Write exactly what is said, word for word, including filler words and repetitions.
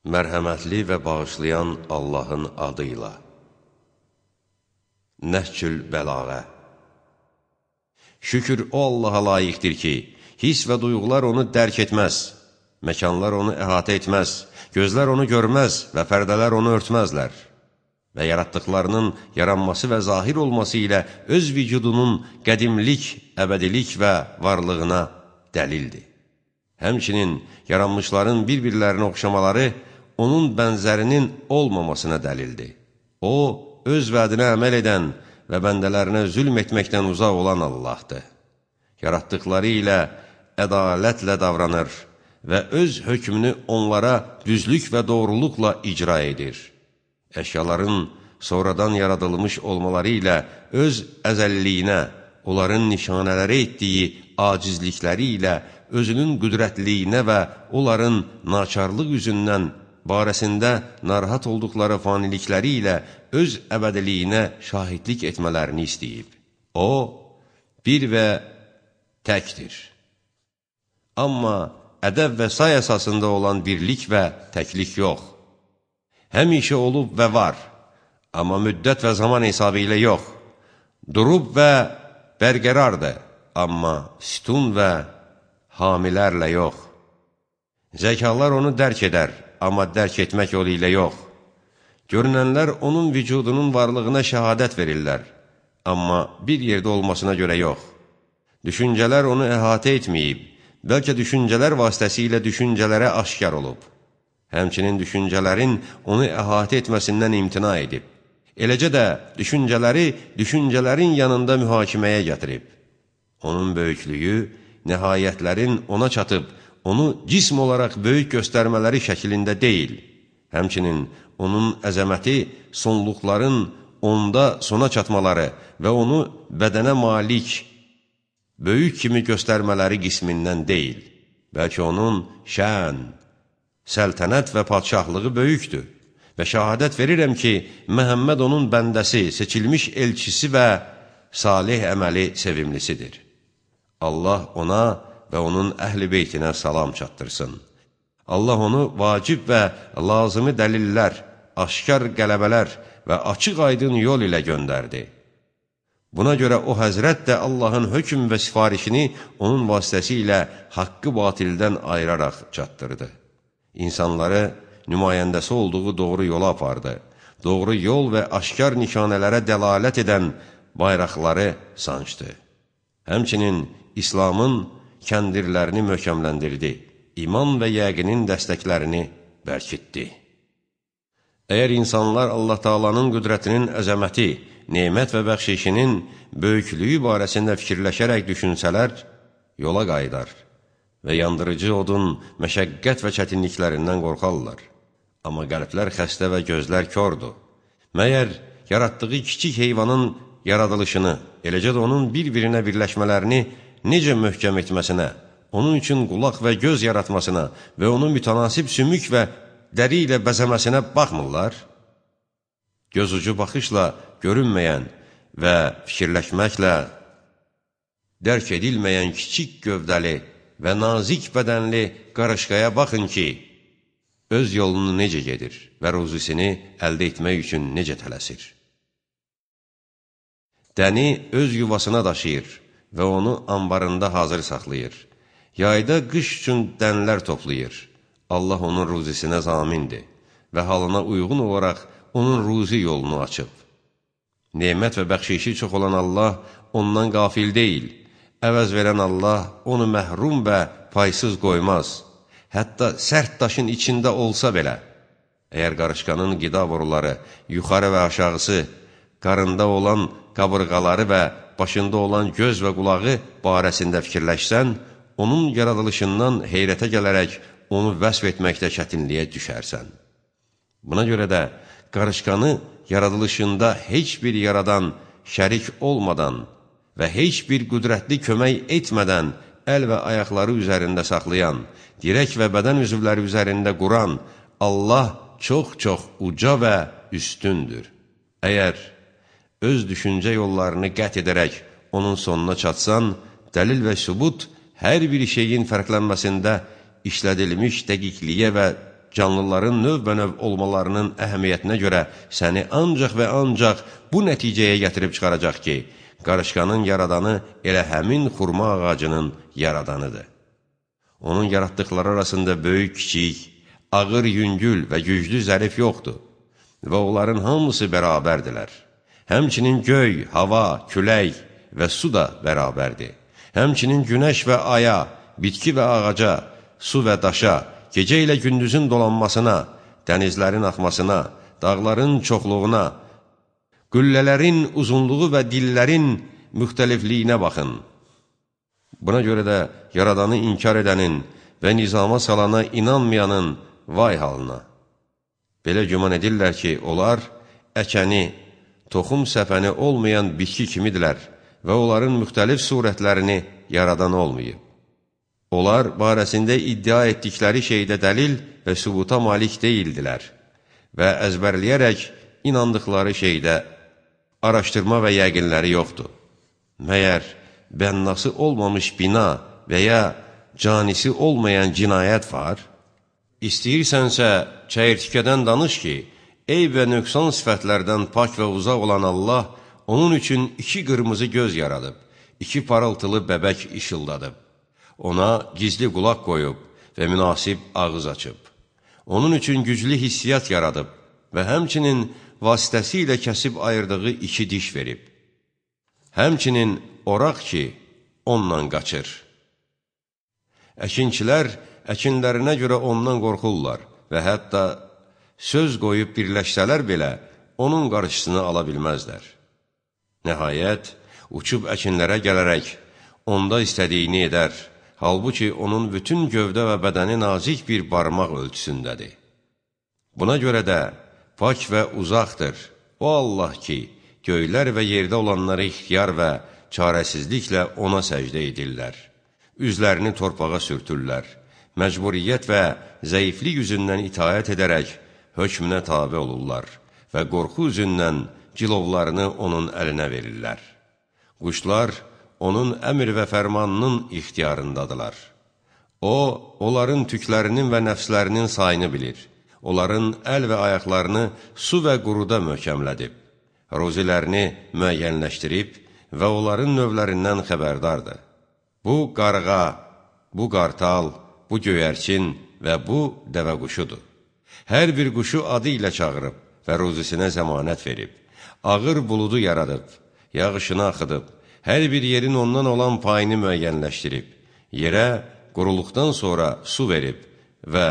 Mərhəmətli və bağışlayan Allahın adıyla. Nəhcül Bəlağə. Şükür o Allaha layiqdir ki, his və duyğular onu dərk etməz, məkanlar onu əhatə etməz, gözlər onu görməz və pərdələr onu örtməzlər və yaratdıqlarının yaranması və zahir olması ilə öz vücudunun qədimlik, əbədilik və varlığına dəlildir. Həmçinin yaranmışların bir-birlərinə oxşamaları onun bənzərinin olmamasına dəlildir. O, öz vədinə əməl edən və bəndələrinə zülm etməkdən uzaq olan Allahdır. Yaratdıqları ilə ədalətlə davranır və öz hökmünü onlara düzlük və doğruluqla icra edir. Əşyaların sonradan yaradılmış olmaları ilə öz əzəlliyinə, onların nişanələri etdiyi acizlikləri ilə özünün qüdrətliyinə və onların naçarlıq üzündən barəsində narahat olduqları fanilikləri ilə öz əbədiliyinə şahidlik etmələrini istəyib. O, bir və təkdir. Amma ədəb və say əsasında olan birlik və təklik yox. Həmişə olub və var, amma müddət və zaman hesabı ilə yox. Durub və bərqərardır, amma sütun və hamilərlə yox. Zəkalar onu dərk edər, amma dərk etmək yolu ilə yox. Görünənlər onun vücudunun varlığına şəhadət verirlər, amma bir yerdə olmasına görə yox. Düşüncələr onu əhatə etməyib, bəlkə düşüncələr vasitəsilə düşüncələrə aşkar olub. Həmçinin düşüncələrin onu əhatə etməsindən imtina edib. Eləcə də düşüncələri düşüncələrin yanında mühakiməyə gətirib. Onun böyüklüyü, nəhayətlərin ona çatıb, onu cism olaraq böyük göstərmələri şəklində deyil. Həmçinin onun əzəməti sonluqların onda sona çatmaları və onu bədənə malik, böyük kimi göstərmələri qismindən deyil. Bəlkə onun şən, səltənət və padşahlığı böyükdür və şəhadət verirəm ki, Məhəmməd onun bəndəsi, seçilmiş elçisi və salih əməli sevimlisidir. Allah ona və onun əhl-i beytinə salam çatdırsın. Allah onu vacib və lazımi dəlillər, aşkar qələbələr və açıq aydın yol ilə göndərdi. Buna görə o həzrət də Allahın hökm və sifarişini onun vasitəsilə haqqı batildən ayıraraq çatdırdı. İnsanları nümayəndəsi olduğu doğru yola apardı. Doğru yol və aşkar nişanələrə dəlalət edən bayraqları sancdı. Həmçinin İslamın kəndirlərini möhkəmləndirdi, iman və yəqinin dəstəklərini bərkitdi. Əgər insanlar Allah Taala'nın qüdrətinin əzəməti, nemət və bəxşişinin böyüklüyü barəsində fikirləşərək düşünsələr, yola qayıdar və yandırıcı odun məşəqqət və çətinliklərindən qorxarlar. Amma qəlblər xəstə və gözlər kördür. Məyər yaratdığı kiçik heyvanın yaradılışını, eləcə də onun bir-birinə birləşmələrini necə möhkəm etməsinə, onun üçün qulaq və göz yaratmasına və onu mütənasib sümük və dəri ilə bəzəməsinə baxmırlar? Göz ucu baxışla görünməyən və fikirləşməklə dərk edilməyən kiçik gövdəli və nazik bədənli qarışqaya baxın ki, öz yolunu necə gedir və ruzisini əldə etmək üçün necə tələsir. Dəni öz yuvasına daşıyır və onu ambarında hazır saxlayır. Yayda qış üçün dənlər toplayır. Allah onun ruzisinə zamindir və halına uyğun olaraq onun ruzi yolunu açıb. Nemət və bəxşişi çox olan Allah ondan qafil deyil. Əvəz verən Allah onu məhrum və paysız qoymaz. Hətta sərt daşın içində olsa belə. Əgər qarışqanın qida boruları, yuxarı və aşağısı, qarında olan qabırğaları və başında olan göz və qulağı barəsində fikirləşsən, onun yaradılışından heyrətə gələrək onu vəsf etməkdə çətinliyə düşərsən. Buna görə də qarışqanı yaradılışında heç bir yaradan şərik olmadan və heç bir qüdrətli kömək etmədən əl və ayaqları üzərində saxlayan, dirək və bədən üzvləri üzərində quran Allah çox-çox uca və üstündür. Əgər öz düşüncə yollarını qət edərək onun sonuna çatsan, dəlil və sübut hər bir şeyin fərqlənməsində işlədilmiş dəqiqliyə və canlıların növbənöv olmalarının əhəmiyyətinə görə səni ancaq və ancaq bu nəticəyə gətirib çıxaracaq ki, qarışqanın yaradanı elə həmin xurma ağacının yaradanıdır. Onun yaratdıqları arasında böyük, kiçik, ağır, yüngül və güclü zərif yoxdur və onların hamısı bərabərdilər. Həmçinin göy, hava, külək və su da bərabərdir. Həmçinin günəş və aya, bitki və ağaca, su və daşa, gecə ilə gündüzün dolanmasına, dənizlərin axmasına, dağların çoxluğuna, qüllələrin uzunluğu və dillərin müxtəlifliyinə baxın. Buna görə də yaradanı inkar edənin və nizama salana inanmayanın vay halına. Belə güman edirlər ki, onlar əkəni, toxum səfəni olmayan bitki kimidirlər və onların müxtəlif surətlərini yaradan olmayıb. Onlar barəsində iddia etdikləri şeydə dəlil və sübuta malik deyildilər və əzbərləyərək inandıqları şeydə araşdırma və yəqinləri yoxdur. Məyər bənnası olmamış bina və ya canisi olmayan cinayət var? İstəyirsənsə, çəyirtkədən danış ki, eyb və nöqsan sifətlərdən pak və uzaq olan Allah onun üçün iki qırmızı göz yaradıb, iki parıltılı bəbək işıldadıb. Ona gizli qulaq qoyub və münasib ağız açıb. Onun üçün güclü hissiyyat yaradıb və həmçinin vasitəsilə kəsib ayırdığı iki diş verib. Həmçinin oraq ki, onunla qaçır. Əkinçilər əkinlərinə görə ondan qorxurlar və hətta söz qoyub birləşsələr belə onun qarşısını ala bilməzlər. Nəhayət, uçub əkinlərə gələrək onda istədiyini edər. Halbuki onun bütün gövdə və bədəni nazik bir barmaq ölçüsündədir. Buna görə də pak və uzaqdır o Allah ki, göylər və yerdə olanları ixtiyar və çarəsizliklə ona səcdə edirlər. Üzlərini torpağa sürtürlər. Məcburiyyət və zəiflik üzündən itaət edərək hökmünə tabe olurlar və qorxu üzündən cilovlarını onun əlinə verirlər. Quşlar onun əmr və fərmanının ixtiyarındadılar. O, onların tüklərinin və nəfslərinin sayını bilir. Onların əl və ayaqlarını su və quruda möhkəmlədib. Ruzilərini müəyyənləşdirib və onların növlərindən xəbərdardır. Bu qarğa, bu qartal, bu göyərçin və bu dəvə quşudur. Hər bir quşu adı ilə çağırıb və ruzisinə zəmanət verib. Ağır buludu yaradıb, yağışını axıdıb, hər bir yerin ondan olan payını müəyyənləşdirib, yerə quruluqdan sonra su verib və